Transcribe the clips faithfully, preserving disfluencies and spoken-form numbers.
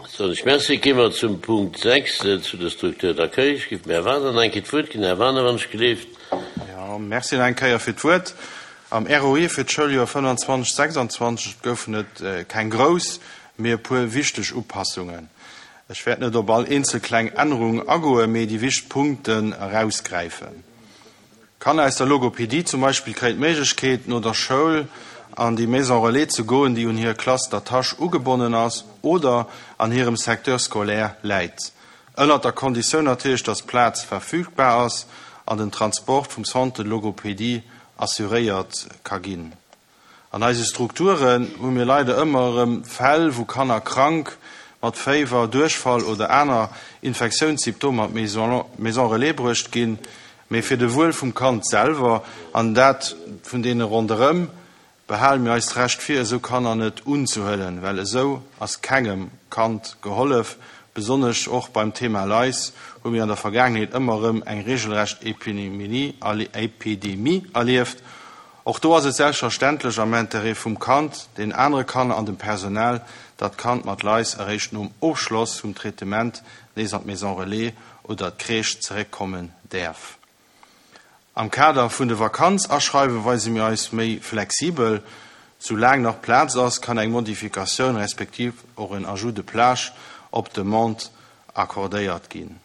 Soen ech Merci. Gi mer zum Punkt sechs, zu der Structure d'accueil. Ech géif dem Här Wagener nach eng Kéier d'Wuert ginn. Här Wagener, wann ech gleeft. Jo, Merci nach eng Kéier fir d'Wuert. Am R O E fir d'Schouljoer fënnfanzwanzeg sechsanzwanzeg goufen et keng grouss, mee e puer wichteg Upassungen. Ech wäert net op all eenzel kleng Ännerung agoen, mee déi wichteg Punkten erausgräifen. Kanner aus der Logopedie zum Beispill kréien d'Méiglechkeet, no der Schoul an déi Maison relais ze goen, déi un hir Classe d'attache ugebonnen ass oder an hirem Secteur scolaire läit. Ënnert der Konditioun natierlech, dass Plaz verfügbar ass an den Transport vum Centre de logopédie assuréiert ka ginn. An eise Strukturen hu mir leider ëmmer erëm Fäll, wou Kanner krank mat Féiwer, Duerchfall oder aner Infektiounssymptomer an d'Maison relais bruecht ginn. Mee fir de Wuel vum Kand selwer an dat vun deene ronderëm behale mir eis d'Recht vir, esou Kanner net unzehuelen, well esou ass kengem Kand gehollef. Besonnesch och beim Thema Lais hu mir an der Vergaangenheet ëmmer erëm eng regelrecht Epidemie erlieft. Och do ass et selbstverständlech am Interêt vum Kand, den anere Kanner an dem Personal, datt d'Kand mat Lais eréischt nom Ofschloss vum Traitement nees an d'Maison relais oder d'Crèche zeréckkommen däerf. Am Kader vun de Vakanzaschreiwe weise mir eis méi flexibel. Soulaang nach Plaz ass, kann eng Modifikatioun respektiv och en Ajout de plage op Demande accordéiert ginn.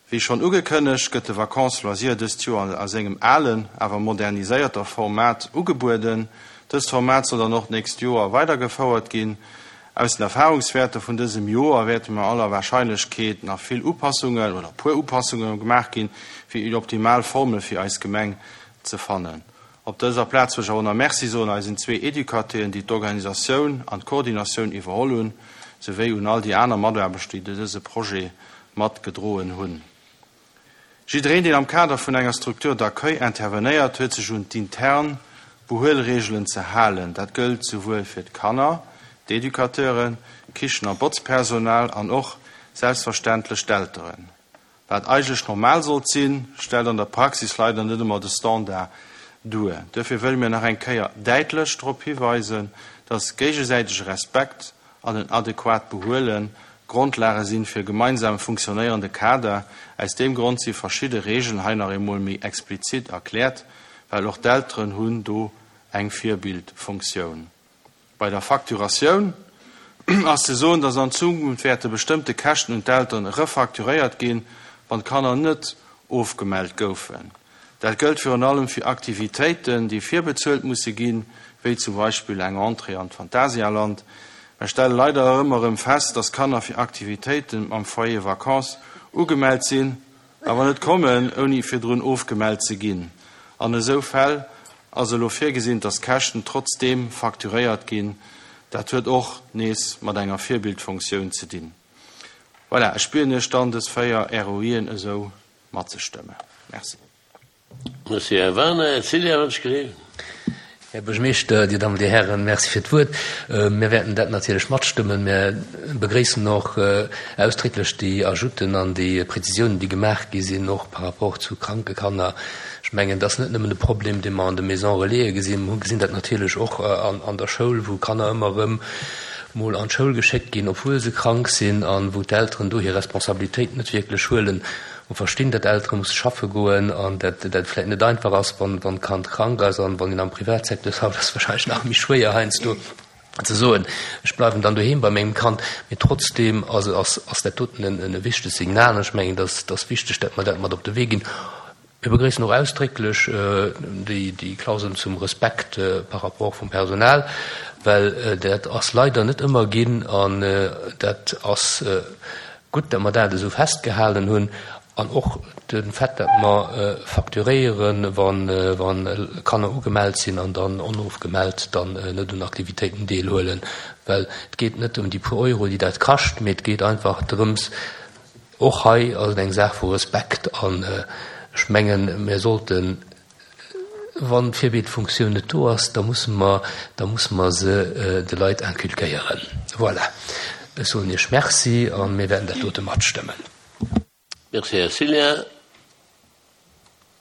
Wéi schonn ugekënnegt, gëtt de Vacances loisirs dëst Joer a sengem alen, awer moderniséierter Format ugebueden. Dëst Format soll dann och d'nächst Joer weidergefouert ginn. Aus den Erfahrungswäerter vun dësem Joer wäerte mer aller Warscheinlechkeet nach vill Upassungen oder puer Upassunge gemaach ginn, fir déi optimal Formel fir eis Gemeng ze fannen. Op dëser Plaz wëll ech awer nach Merci soen eisen zwee Educateuren, déi d'Organisatioun an d'Koordinatioun iwwerholl hunn, souwéi un all déi aner Mataarbechter, déi dëse Projet matgedroen hunn. Jiddereen, deen am Kader vun enger Structure d'accueil intervenéiert, huet sech un d'intern Behuelreegelen ze halen. Dat gëllt souwuel fir d'Kanner, d'Educateuren, Kichen a Botzpersonal an och selbstverständlech d'Elteren. Wat eigentlech normal sollt sinn, stellt an der Praxis leider net ëmmer de Standard duer. Duerfir wëlle mir nach eng Kéier däitlech drop hiweisen, dass géigesäitege Respekt an en adequat Behuelen Grondlage sinn fir e gemeinsam funktionéierende Kader. Aus deem Grond si verschidde Reegelen hei nach eemol méi explizit erkläert, well och d'Elteren hunn do eng Virbildfunktioun. Bei der Facturatioun ass ze soen, dass an Zukunft wäerte bestëmmte Käschten un d'Elteren refacturéiert ginn, wann d'Kanner net ofgemellt goufen. Dat gëllt virun allem fir Aktivitéiten, déi virbezuelt musse ginn, wéi zum Beispill eng Entrée an d'Phantasialand. Mir stelle leider ëmmer erëm fest, dass Kanner fir Aktivitéiten am Foyer Vacances ugemellt sinn, awer net kommen, ouni virdrun ofgemellt ze ginn. An esou Fäll ass elo virgesinn, dass Käschten trotzdeem facturéiert ginn. Dat huet och nees mat enger Virbildfunktioun ze dinn. Voilà, ech bieden Iech dann, dës véier R O Ien esou matzestëmmen. Merci. Merci, Här Wagener. Här Cillien, wann ech gleewen. Här Buergermeeschter, Dir Dammen, Dir Hären, merci fir d'Wuert. Mir wäerten dat natierlech matstëmmen. Mir begréissen och ausdrécklech déi Ajouten an déi Prezisiounen, déi gemaach gi sinn, och par rapport zu kranke Kanner. Ech mengen, dat ass net nëmmen de Problem, dee mer an de Maisons Relaisen gesinn. Mir gesinn dat natierlech och an der Schoul, wou Kanner ëmmer erëm mol an d'Schoul geschéckt ginn, obwuel se krank sinn, an wou d'Elteren do hir Responsabilitéit net wierklech huelen. Mer verstinn, datt Eltere musse schaffe goen an dat dat vläicht net einfach ass, wann wann d'Kand krank ass, an wann een am Privatsecteur schafft, ass wahrscheinlech nach méi schwéier heiansdo ze soen, ech bleiwen dann doheem bei mengem Kand. Mee trotzdeem ass ass ass dat doten en e wichtegt Signal an ech mengen, dat ass wichteg, dat mer dat mat op de Wee ginn. Mir begréissen och ausdrécklech déi déi Klausel zum Respekt par rapport vum Personal, well dat ass leider net ëmmer ginn an dat ass gutt, dat mer dat esou festgehalen hunn. An och de Fait, datt mer facturéieren, wa Kanner ugemellt sinn an dann onofgemellt dann net un Aktivitéiten deelhuelen, well et geet net ëm déi puer Euro, déi dat kascht, mee et geet einfach drëms, och hei ass et eng Saach vu Respekt. An ech mengen, mir sollten, wann d'Virbildfunktioun net do ass, da musse mer, da musse mer se de Leit inculquéieren. Voilà, ech soen Iech Merci a mir wäerten dat dote matstëmmen. Merci, Här Cillien.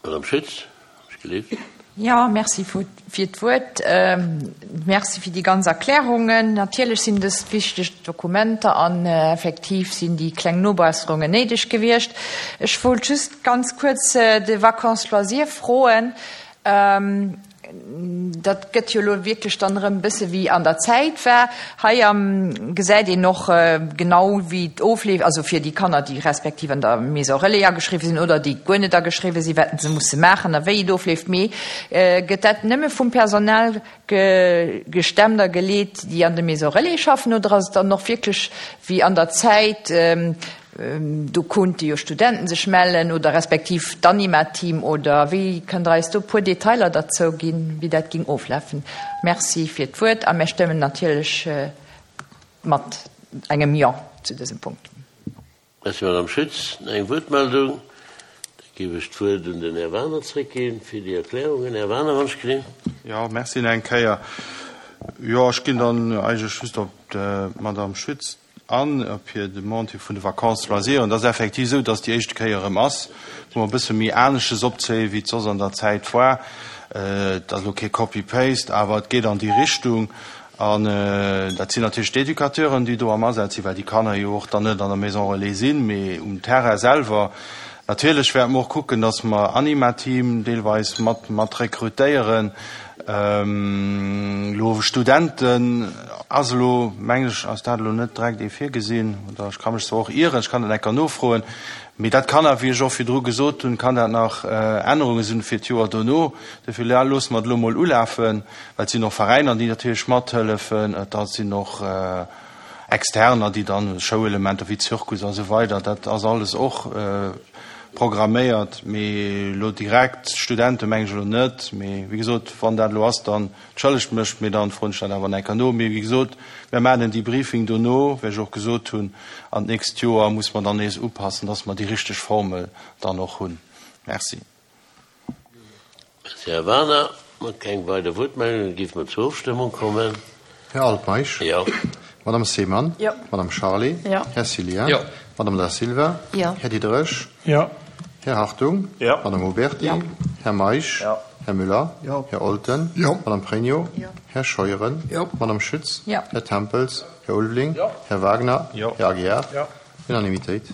Madame Schütz, ech gelift. Jo, merci fir d'Wuert. Merci fir déi ganz Erklärungen. Natierlech sinn dëst wichteg Dokumenter an effektiv sinn déi kleng Nobesserungen néideg gewiescht. Ech wollt just ganz kuerz de Vacances loisirs froen. Dat gëtt jo elo wierklech dann erëm e bësse wéi an der Zäit war. Hei am gesäit een och genau wéi et ofleeft, also fir déi Kanner, déi respektiv an der Maison relais ageschriwwen sinn oder déi guer net ageschriwwen sinn, wat se musse maachen a wéi et ofleeft. Mee gëtt dat nëmme vum Personal gestemmt a geleet, déi an de Maisons relais schaffen, oder ass et dann och wierklech wéi an der Zäit, do konnte jo Studenten sech mellen oder respektiv d'Anima-Team, oder wéi? Kënnt Der eis do e puer Detailer derzou ginn, wéi dat géing oflafen? Merci fir d'Wuert a mir stëmmen natierlech mat engem Jo zu dësem Punkt. Merci, Madame Schütz. Nach eng Wuertmeldung? Da géif ech d'Wuert un den Här Wagener zréckginn fir déi Erklärungen. Här Wagener, wann ech gesinn. Jo, merci nach eng Kéier. Jo, ech ginn dann eigentlech just op d'Madame Schütz an, op hir Demande hi vun de Vacances loisirs. Et ass effektiv esou, dass déi éischte Kéier erëm ass, wou mer e bësse méi anesches opzéien, wéi et soss an der Zäit war. Et ass elo kee Copy-paste, awer et geet an déi Richtung. An dat sinn natierlech d'Educateuren, déi do am Asaz sinn, well déi Kanner jo och dann net an der Maison relais sinn, mee um Terrain selwer. Natierlech wäerte mer och kucken, dass mer Anima-Team deelweis mat mat rekrutéieren. Elo Studenten ass elo, mengen ech, ass dat elo net direkt ee virgesinn, oder ech ka mech zwar och ieren, ech kann dat enker nofroen, mee dat kann nach, wéi ech och virdru gesot hunn, kann dat nach Ännerunge sinn fir d'Joer dono. Dofir loosse mer et elo mol ulafen, well et sinn och Veräiner, déi natierlech mathëllefen, et sinn och Externer, déi dann Showelementer wéi Zirkus a sou weider, dat ass alles och programméiert. Mee elo direkt Studente mengen ech elo net. Mee wéi gesot, wann dat elo ass, dann entschëllegt mech, mee dann froen ech dat awer nach eng Kéier no. Mee wéi gesot, mir maachen en Debriefing dono, wéi ech och gesot hunn, an d'nächst Joer muss mer dann nees upassen, dass mer déi richteg Formel dann och hunn. Merci. Merci, Här Wagener. Keng weider Wuertmeldungen, da géife mer zur Ofstëmmung kommen. Här Altmeisch. Jo. Madame Seemann. Jo. Madame Charlé. Jo. Här Cillien. Jo. Madame Da Silva. Jo. Här Diderich. Jo. Här Hartung. Jo. Madame Oberti. Jo. Här Meisch. Jo. Här Müller. Jo. Här Olten. Jo. Madame Pregno. Jo. Här Scheuren. Jo. Madame Schütz. Jo. Här Tempels. Här Ulveling. Jo. Här Wagner. Jo. Här Aguiar. Jo. Unanimitéit.